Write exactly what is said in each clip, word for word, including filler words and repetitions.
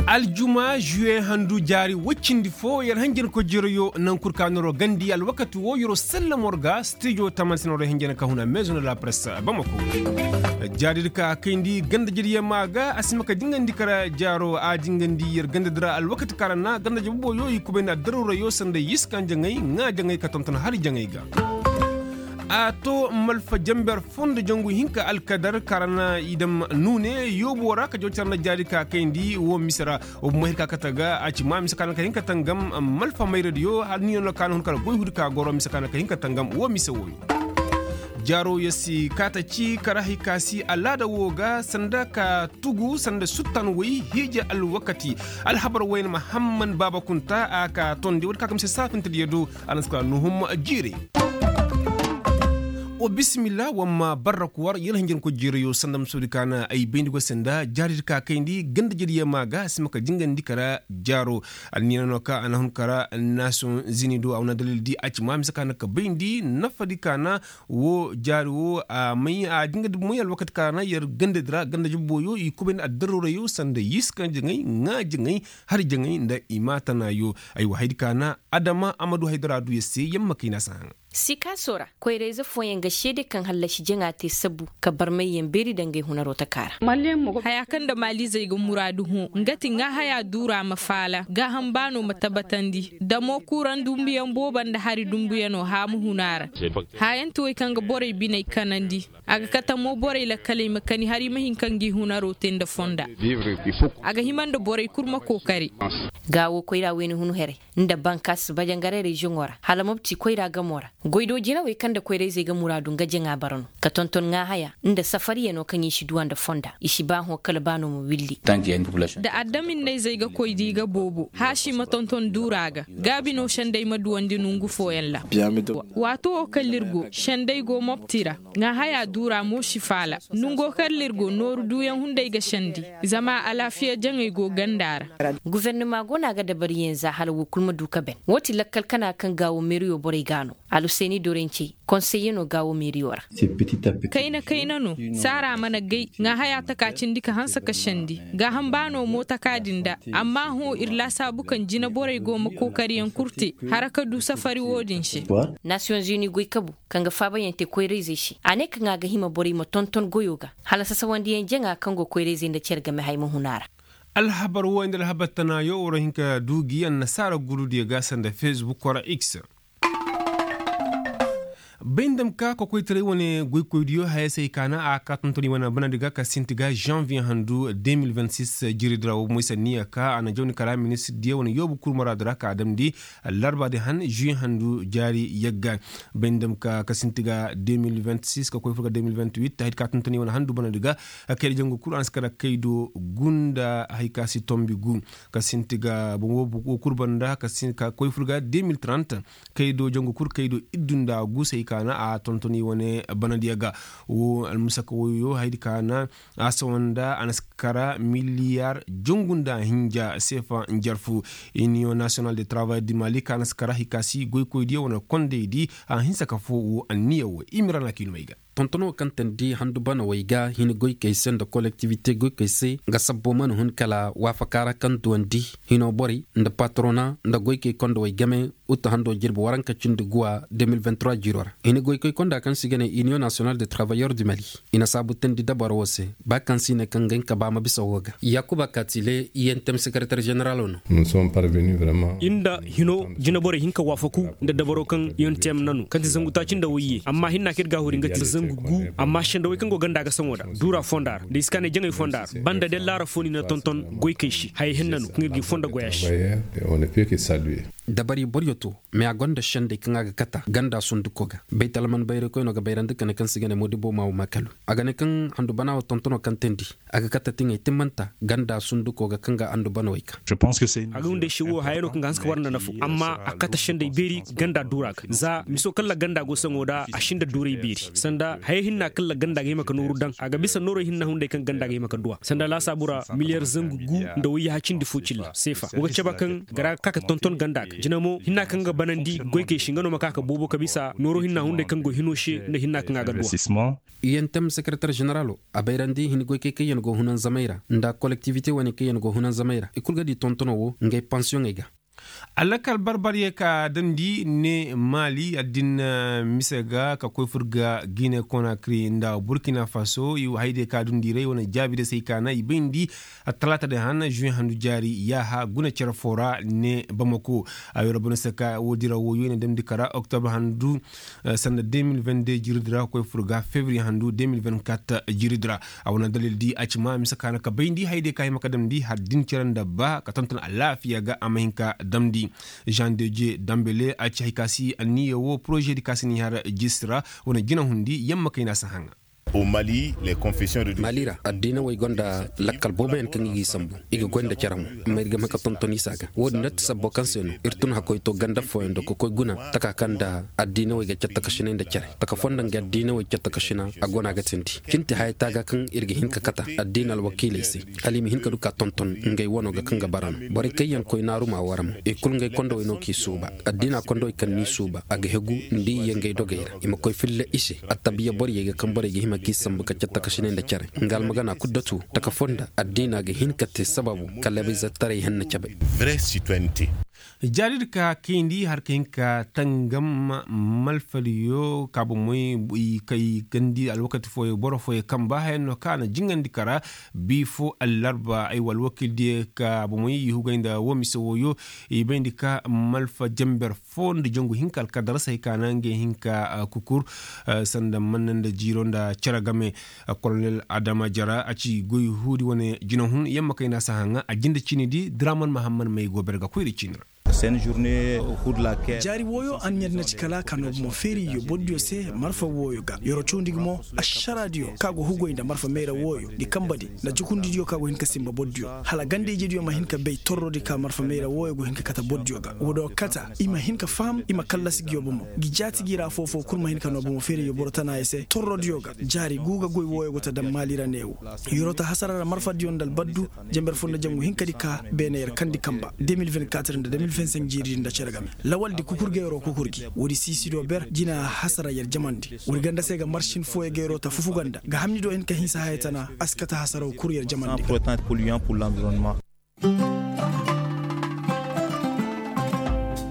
Aljuma zuwe handu jaari woy cindi fo yer hanjankoy jiroyo naŋ kul ka noro gandi alwakati wo yeroo sallam war ga stijo taman se noro hanjan ka huna maison de la presse bamako. Jaari di ka kayndi ganda jadiyama ga a si ma ka jingandi kara jaaro a jingandi yer ganda di ra alwakati ka ra na ganda jabuboyo i kubayndi addaruurayo sanda yiska jaŋay ŋaa jaŋay ka tonton hari jaŋay ga. A to malfa jamber fondo jangu hinka alkadar ka ra na i dam nuune yoobo ra ka jaw care nda jaari ka kayndi wo mise ra. Wo bumo hir ka kate ga a ci ma mise ka na ka hin ka tangam malfa mayradiyo har ni no ka na hun kala goy hudi ka goro mise ka na ka hin ka tangam wo mise wooyo. Jaaro ya si kaata ci kara hay ka si alaada woo ga sanda ka tugu sanda suttan woy hiije alwakati. Alhabar wayne mahamman baaba kunta a ka tondi woodi ka ga mise saafintadiyo do. A na si kala nuhum jiire. Wa bisimilla wamma barraku war yalla hinjin ko jiirayo sanda ma soodi ka na ay bayndi go se nda jaari di ka kayndi ganda jadiyama ga a si ma ka jingandi kara jaaro. Alniina no ka a na hun kara nasiyoŋ zini do a wane dalil di a ci ma mise ka na ka bayndi nafa di ka na wo jaari wo a may a jingandi moy alwakati ka na yer ganda di ra ganda jabboyo i kubayndi addaruurayo sanda yiska jaŋay ŋaa jaŋay hari jaŋay nda i ma tanayo. Aywa hay di ka na adama a ma du haydara du yer se yamma kayna si haŋ. Sikaaso ra koyrayze fooyaŋ ga seede kaŋ hallasi jaŋa te sabu ka barmayyaŋ beeri da ngey hunaroo taka ra. Haya kaŋ nda maaliizey ga muraadu hõ nga ti ŋaahayaa duura ma faala gaaham baanoo ma tabatandi damo kuuraŋ dumbuyaŋ boobo nda hari dumbuyanoo haamu huna ra. Haayanti wey kaŋ ga borey biney kanandi. A ga kate mo borey lakkaley ma kani hari ma hin ka ngi hunaroo te nda fonda. A ga hima nda borey kul ma kookari. Gaawo koyra wayne hun herey nda bankas bajangaray reziyoŋo ra hala mopti koyra gamo ra. Goydoo jinawey kaŋ nda koyrayzey ga muraadu nga jaŋa bara no ka tonton ŋaahaya nda safariyanoo kaŋ i si duwa nda fonda i si ba hõ kala ba no ma willi. Da adaminnayzey ga koy da i ga boobo haasi ma tonton duura ga gaabi no sendey ma duwandi nongu fooyaŋ ra. Waato wo kala ir go sendey go mopti ra. Ŋaahaya duura mo si faala nongo kala ir go nooru duuyaŋ hunday ga sendi. Zama alaafiya jaŋey go ganda ra. Gufernama go no a ga dabariyaŋ za hala woo kul ma du ka ben woo ti lakkal kana kaŋ gaawo meeriyo borey ga no. Alhuseeni dorencey konseyyanoo gaawo meeriyo ra. Kayna kayna no. Saara mana gay ŋaahaya taka cindi ka hanse ka sendi. Gaaham baanoo mo taka din da. Amma hõ ir laasaabu kaŋ jinaborey go ma kookariyaŋ kul te hara ka du safari wo-din se. Nasiyoŋ zuni goy kabu kaŋ ga faabayaŋ te koyrayzey se a ne kaŋ a ga hima borey ma tonton goyo ga hala sasawandiyaŋ jaŋa kaŋ go koyrayzey nda cere game hay ma hun a ra. Alhabar wooyo nda alhabar tanaayo war hin ka du gi annasaara gurudiyo ga sanda fesbuk wara x. Bay nda ma ka kokoytaray wane goykoydiyo haya se hay ka na a ka tonton i wane banadi ga ka sinti ga zanviye handu deux mille vingt-six. Jiridi ra wo moy sanniya ka a na jawni kala ministirdiyo wane yoobu kul maraadu ra ka a damndi larbaadi han zuye handu jaari yagga. Bay nda ma ka ka sinti ga deux mille vingt-six ka koy fur ga deux mille vingt-huit hay ka tonton i wane handu banadi ga. Kayda jangu kul a na si kara kaydo gu nda hay ka si tombi gu ka sinti ga boŋ wo kul banda ka koy fur ga deux mille trente. Kaydo jangu kul kaydo iddu nda gu se hay ka na a tonton i wane banadiya ga. Wo almusaka woyo haydi ka na a sawa nda a na si kara miliyar jangu nda hinja seefa njarfu. Iniyoŋ nasiyonal de travay di mali ka na si kara hay ka si goykoydiyo wane kondey di a hinsa ka foo wo anniya wo i ma ra na kiinumey ga. Tontonoo kaŋ teendi handu banawey ga hini goykey se nda kolektiwite goykey se nga sabbo mana hun kala waafaka ra kaŋ duwandi hinoo borey nda patrona nda goykey kondawey game. Uta handoo jirbi waranka cindi guwa deux mille vingt-trois jiroo ra hini goykey konda kaŋ se i ga ne iniyoŋ nasiyonal de travayeur du mali. I na saabu teendi dabaro wo se ba kaŋ se i ne kaŋ ga hin ka ba ma bisa woo ga. Yaakuba kaatile i n t m sekereter ženeralo no. Ir nda hino jineborey hin ka waafaku nda dabaro kaŋ ir n t m na no kaŋ ti zangu taaci nda wayye amma hinna kaŋ ir ga a hori nga ti zangu gu. Amma sendawey kaŋ go ganda ga saŋo da duura fonda ra nda i si ka ne jaŋey fonda ra banda de laara fo no i na tonton goykey se hayey hinna no kaŋ ir ga i fonda goya se. Dabari boryo to mais a gonda sendey kaŋ a ga kata ganda sunduko ga baytalman bayraykoy no ga bayrandi ka ne kaŋ si ga ne moodibo maawo maakalu. A ga ne kaŋ handu bana wo tontono kaŋ teendi a ga kata tiŋey timmanta ganda sunduko ga kaŋ ga handu bana wo ay ka. A ga wunday se wo haya no kaŋ ga hanse ka war nda nafa amma a kata sendey beeri ganda duura ga za miso kaŋ ra ganda go saŋo da a si nda duuray beeri sanda haya hinna kaŋ ra ganda ga hima ka nooru daŋ a ga bisa noorey hinna hunday kaŋ ganda ga hima ka duwa sanda laasaabu ra miliyar zangu gu nda wayyaha cindi fo cilla seefa wo ga cabe kaŋ gara ga ka ka tonton ganda ga. Jina mo hinna kaŋ ga banandi goykey se nga no ma ka ka boobo ka bisa nooro hinna hunday kaŋ go hino se nda hinna kaŋ a ga duwa. Yantem sekereter ženeralo a bayrandi hin goykey kaŋ yaŋ go hunan zamey ra nda kolektivite wane kaŋ yaŋ go hunan zamey ra i kulu ga di tontono wo ngey pansiyoŋey ga. Alakal barbar ye ka damndi ne maali addin mise ga ka koy fur ga gine konakri nda burkina faso i wo hayde ka dundi ray wane jaabi day se ay kaana i bayndi. Talaata day han žuwe handu jaari yaaha guna cere foo ra ne bamako. A yoo ra bone se ka woodi ra wooyo i na damndi kara oktobre handu sanda deux mille vingt-deux jiridi ra ka koy fur ga fevriye handu deux mille vingt-quatre jiridi ra. A wane dalil di a ci ma mise ka na ka bayndi hayde ka hima ka damndi har din cere nda ba ka tonton alaafiya ga a ma hin ka damndi. Jean deje dambele a ci hay ka si anniya wo poroze di ka si ni har jisira wane jinahundi yamma kay na si haŋa. Mali ra addiinawey gonda lakkal booboyaŋ kaŋ i g'i sambu i ga goy nda cere mo. Amma ir ga ma ka tonton isa ga wo-din nda ti sabbo kaŋ se no ir tun hakkoy to ganda fooyaŋ do ka koy guna taka kaŋ nda addiinawey ga cattakasinay nda cere taka fonda nga addiinawey cattakasinay a go no a ga tindi. Cinti haya taaga kaŋ ir ga hin ka kata addiina alwakiiley se hala i ma hin ka du ka tonton ngey wano ga kaŋ ga bara no. Borey kaŋ yaŋ koy naaru m'a wara mo i kulu ngey kondowey no k'i suuba. Addiina kondowey kaŋ n'i suuba a ga hegu nda i ye ngey dogey ra i ma koy filla i se. Attabiya borey ga kaŋ borey ga hima k'i sambu ka cattakasinay nda care nga almagana kul datu taka fonda addiina ga hin ka te sababu ka labayzetaray henna cabe. Jaari di ka kayndi har ka hin ka tangam malfariyo ka bomey i kay gandi alwakati fooyo boro fooyo kamba hayaŋ no kaŋ a na jingandi kara bi fo allarba ay wa alwakiil diyo ka bomey i hugay nda wo mise wooyo. I bayndi ka malfa jamber fo nda jangu hinka alkadar se hay ka na ngey hinka kukur sanda manna nda jiiro nda cere game. Kolonel adama jara a ci goy huudi wane jinahun yamma kayna si haŋa a jinde ciini di draman mahamman may go ber ga koyri ciini ra. Jaari wooyo anniya di na ci kala ka noobu mo feeri iyo bordiyo se marfa wooyo ga yoro cawndi gi mo. Ašaraadiyo ka go hugoy nda marfa mayra wooyo di kamba di nda jukundidiyo ka go hin ka simba bordiyo hala ganda-ijediyo ma hin ka bay torrodi ka marfa mayra wooyo go hin ka kata bordiyo ga woodiyo kata i ma hin ka faham i ma kallasi ngiyo bomo. Ngi jaati ngi ra foo-foo kul ma hin ka noo bomo feeriyo boro tanaayey se torrodiyo ga jaari guuga goy wooyo go ta daŋ maali ra neewo. Yoro ta hasara ra marfadiyo nda albaddu. Jember fo nda jangu hinkadi ka beene yer kandi kamba deux mille vingt-quatre nda deux mille vingt-cinq jiiri di nda cere game. Lawaldi kukur geeroo kukur gi woodi siisido ber jina hasara yer jamandi. Woodi ganda se ga marsin fooyo geeroo ta fufuga nda ga hamnido hin ka hinsa haya tana a si kate hasaraw kul yer jamandi ga.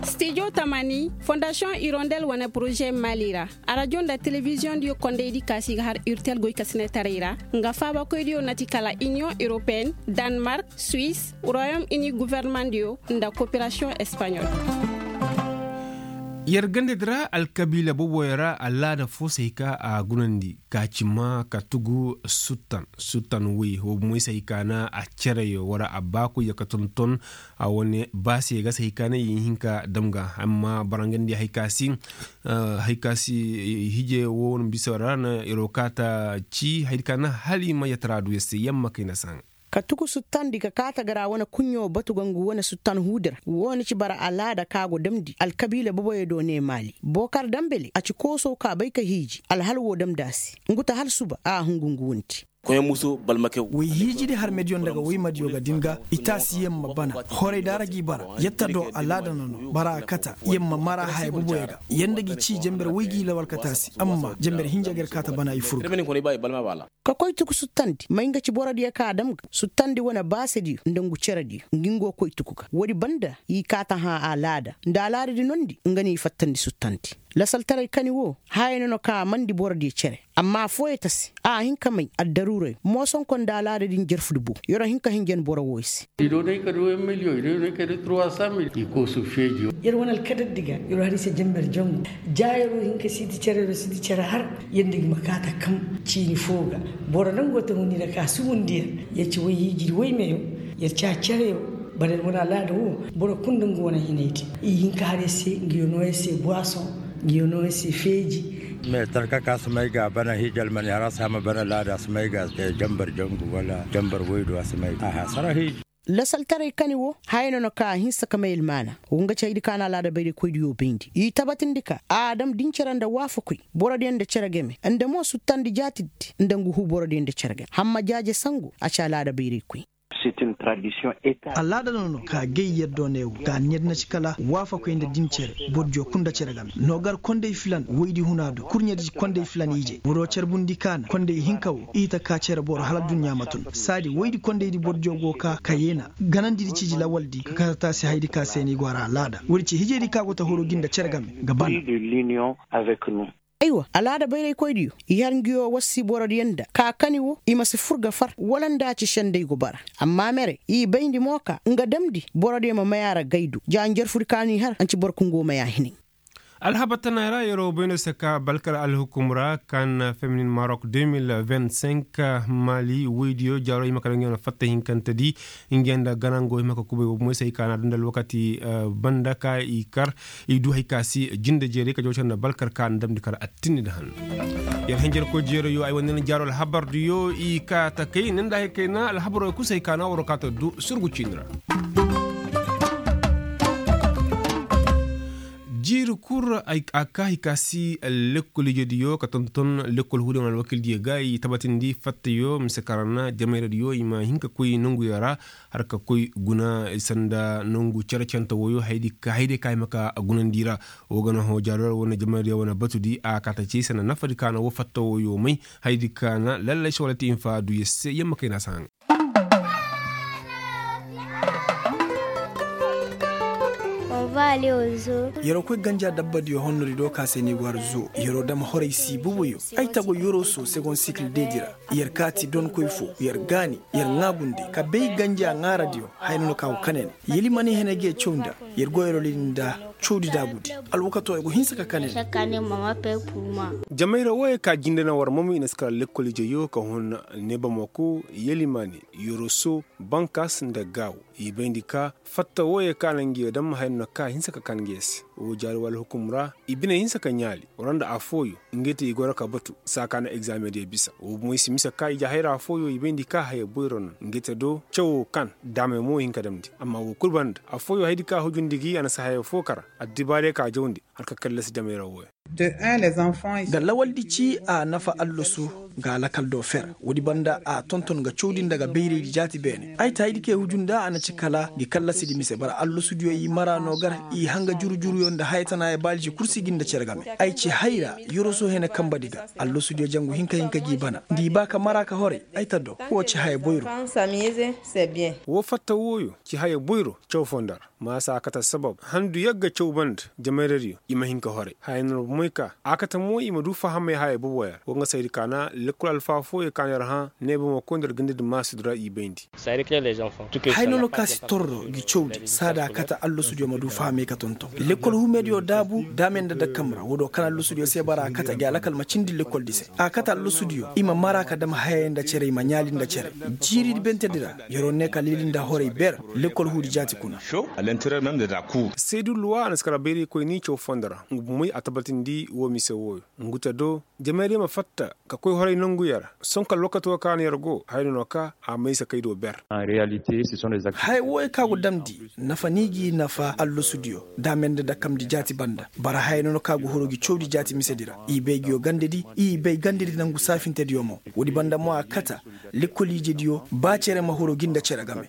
Stijo tamani fondasiyoŋ irondel wane poroze maali ra. Arajo nda telebiziyoŋ diyo kondey di kaasi ga har urtel goykasinetaray ra nga faabakoy diyo na ti kala iniyoŋ europeyen, danmark, suwis, royom ini gofornamaŋ diyo nda koperasiyoŋ espaɲol. Yer gandadi ra alkabiila boboyo ra alaada fo se hay ka a gunandi ka ci ma ka tugu suttan suttan woy wo bomoy se hay ka na a cereyo wara a baakoy ya ka tonton. A wane baase ga se hay ka na i hin ka dam ga amma barangandi hay ka si hay ka si hije wo wane bisa ra na iro kaata ci hay ka na hala i ma yatara du ya se yamma kay na saŋ. Ka tuku suttandi ka kaata ga ra wane kuɲɲo batu ga ngu wane suttan huudi ra wo na ci bara alaada ka go damndi alkabiila boboyo do ne maali bookar dambele a ci kooso ka bay ka hiiji alhal wo damndi a se. Ngu ta hala suba a hungu ngu wunti. Way hiijidi harmediyo nda ga waymadiyo ga din ga i taasi yamma bana horay daara g'i bara yatta do alaada na no bara a kata yamma mara haya boboyo ga yanda g'i ci jember way g'i lawal ka taasi amma jember hinja ga ir kaata bana i fur ga. Ka koy tuku suttandi may nga ci borodiyo ka a dam ga suttandi wane baasediyo nda ngu cerediyo ngi ngo koy tuku ga woodi banda i kaata hã alaada nda alaadadi nondi nga no i fattandi suttandi. Lasaltaray kani wo haya no no ka a mandi borodiyo cere amma affooyo ta se a hin ka may addaruuray moosonko nda alaada din jerfudi bo yer wo hin ka hinjan boro wooyo se. Yer wane alkadar di ga yer wo har i se jamber jangu. Ja yer wo hin ka siiti cere yer wo siiti cere har yer nda gi ma kaata kam ciini foo ga. Boro nda ngo ta hundi nda ka sugundi yer yer ci woy hiijidi woy meyo yer ci a cereyo. Boro yer wane alaada wo boro kul nda nga wane hinaydi i hin ka har yer se nga yo noo yer se buwasoŋ nga yo noo yer se feeji. Meetar ka ka si may ga a bana hiiji almani har a si hama bana laada a si may ga a si te jambar jangu wala jambar woy do a si may ga a hasara hiiji. Lasaltaray kani wo haya no no ka a hinsa ka may almaana wo nga ci haydi ka na alaada bayraykoydiyo bayndi i tabatindi ka a dam din cere nda waafakoy borodiyo nda cere game nda mo suttandi jaatiddi nda ngu huu borodiyo nda cere game hamma jaaje sangu a ci alaada bayraykoy. Alaada no no ka gay yer do neewo ga ɲer na ci kala waafakoy nda din cere. Bordiyo kul nda cere game no gar kondey filan woydi huna do kurɲedi kondey filan ije boro carbundi kaana kondey hinka wo i ta ka cere boro hala adduɲɲa ma tun saadi woydi kondeydi bordiyo go ka ka yeena ganandidi ciiji lawaldi ka kata taasi haydi ka se ni go a ra alaada woodi ci hijedi ka go ta horo gi nda cere game ga bana. Aywa alaada bayraykoydiyo i har nguyo wassi borodiyo nda ka kani wo i ma si fur ga far wala nda ci sendey go bara. Amma mere i bayndi mo ka nga damndi borodiyo ma may a ra gaydu ja njarfudi ka no i har anci boro kaŋ go may a hinay. Alhabar tana ra yeroo bay no se ka balkar alhukum ra kan feminin marok deux mille vingt-cinq, mali woydiyo jaaro i ma ka daŋ ɲaŋ fatta hinkantedi. Nga nda ganango i ma ka kubay wo moy se i ka na danda alwakati banda ka i kar i du hay ka si jinde jeeray ka jawcar nda balkar ka na damndi kar attinni nda hanno. Yer hinjarkoy jeerayo ay wane na jaaro alhabardiyo i ka takay ni nda hay kayna alhabaroo kul se ay ka na waroo ka ta du surgu ciini ra. Jiiri kul a ka hay ka si lekkol ijediyo ka tonton lekkol huudiyo wane alwakildiyo ga i tabatindi fattayo mise kaŋ ra na jamayradiyo i ma hin ka koy nonguyo ra. Har ka koy guna sanda nongu cere canta woyo haydi ka ay ma ka gunandi ra. Wo ga na hõ jaariyar wane jamayradiyo wane batudi a ka ta ci sanda nafadi ka na wo fatta woyo may haydi ka na lallay se wala ti infa du yer se yer ma kay na si haŋ. Yeroo koy ganja dabbadiyo honnodi do ka se ni go har zo yeroo dam horay si bubuyo. Ay tago yeroo so segon sikil deedi ra. Yer kaati donkoy fo yer gaani yer ŋaagundi ka bay ganja ŋaaradiyo. Haya no no ka go kane ne yeli mani hene ge caw nda yer go yeroo lili nda cawdi daagudi. Alwakato ay go hinsa ka kane ne. Jamayra wooyey ka jinde na war momo i na si kala lekkol ijeyo ka hun neebamako yeli mani yoroso bankas nda gaaw. I bayndi ka fatta wooyey ka na ngiyo dam haya no ka hinsa ka kan ngiyo se. Woo jaari wala hukum ra i bine hinsa ka ɲaali wara nda afooyo. Ngey te i goro ka batu saa ka na egzameŋ diyo bisa woo bomoy si mise ka ije hayra afooyo i bayndi ka haya boyro no ngey te do cawoo kan daamey mo hin ka damndi. Amma woo kul banda afooyo haydi ka hujundi gi a na si haya foo kara addibaarey ka jawndi har ka kallasi jamayra wooyo. Ga lawaldi ci a nafa allasu ga lakal do fer. Woodi banda a tonton ga cawdi nda ga bayraydi jaati beene ay ta haydi kay huju nda a na ci kala gi kallasidi mise bara allasudiyo i mara no gar i hanga juru-juruyo nda hayatanaaya baaliji kul si gi nda cere game. Ay ci hayra yoroso hene kambadi ga allasudiyo jangu hinka-hinka gi bana nda i ba ka mara ka horay. Ay ta do woo ci haya boyro. Woo fatta wooyo ci haya boyro caw foo nda ra. Maasa a kate sabab handu yagga caw banda jamayradiyo i ma hin ka horay haya no ra bomoy ka a kate mo i ma du fahamay haya boboya ra wo nga saydi ka na lekkol alfaa fooyo ka no yer hã neebamo koy nda yer gandadi maasudi ra i bayndi. Haya no no ka si torro gi cawdi saada a kate allasudiyo ma du fahamay ka tonton lekkol humediyo daabu daamey nda dakkam ra woo do kan allasudiyo se bara a kate gi alakal ma cindi lekkoldi se a kate allasudiyo i ma mara ka dam hayey nda cere i ma ɲaali nda cere. Jiiridi bentedi ra yeroo ne ka lili nda horay ber lekkol huudi jaati kuna. Seedu luwa a na si kala bayraykoyni caw fondo ra ngu bomoy a tabatindi woo mise wooyo ngu te do jamaydiyo ma fatta ka koy horay nonguyo ra. Sonka alwakato ka no yer go haya no no ka a maysa kay do ber. Haya wooyo ka go damndi nafa ni gi nafa allasudiyo daamey nda dakkamndi jaati banda bara haya no no ka go huru gi cawdi jaati misedi ra i bay nguyo gandadi i bay gandadi nangu saafintediyo mo. Woodi banda mo a kata lekkol ijediyo ba cere ma huru gi nda cere game.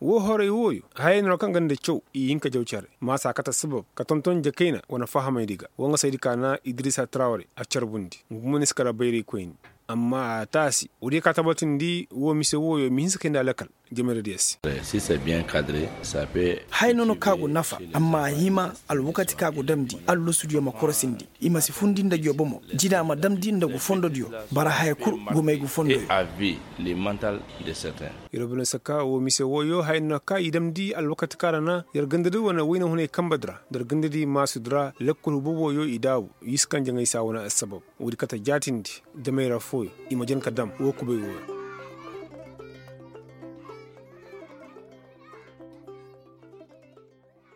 Woo horay wooyo haya no no kaŋ ganda caw i hin ka jaw cere maasa a kate sabab ka tonton jakayna wane fahamaydi ga woo nga saydi ka na idirisa tarawre a carbundi ngu mo ni si kala bayraykoyni. Amma a taasi woodiyo ka tabatindi woo mise wooyo i ma hinsa kay nda alakal jamayradiyo se. Haya no no ka go nafa amma a hima alwakati ka go damndi allasudiyo ma korosindi i ma si fundi nda nguyo bomo jina ma damndi nda ngu fondodiyo. Bara haya kul gumay ngu fondoyo. Yer bine saka woo mise wooyo haya no ka i damndi alwakati ka ra na yer gandadi wane wayna hunay kambadi ra nda yer gandadi maasudi ra lekkol hububoyo i daabu i si kaŋ jaŋay saa wane assabab. Woodi kate jaatindi jamayra fooyo i ma jan ka dam woo kubay wooyo.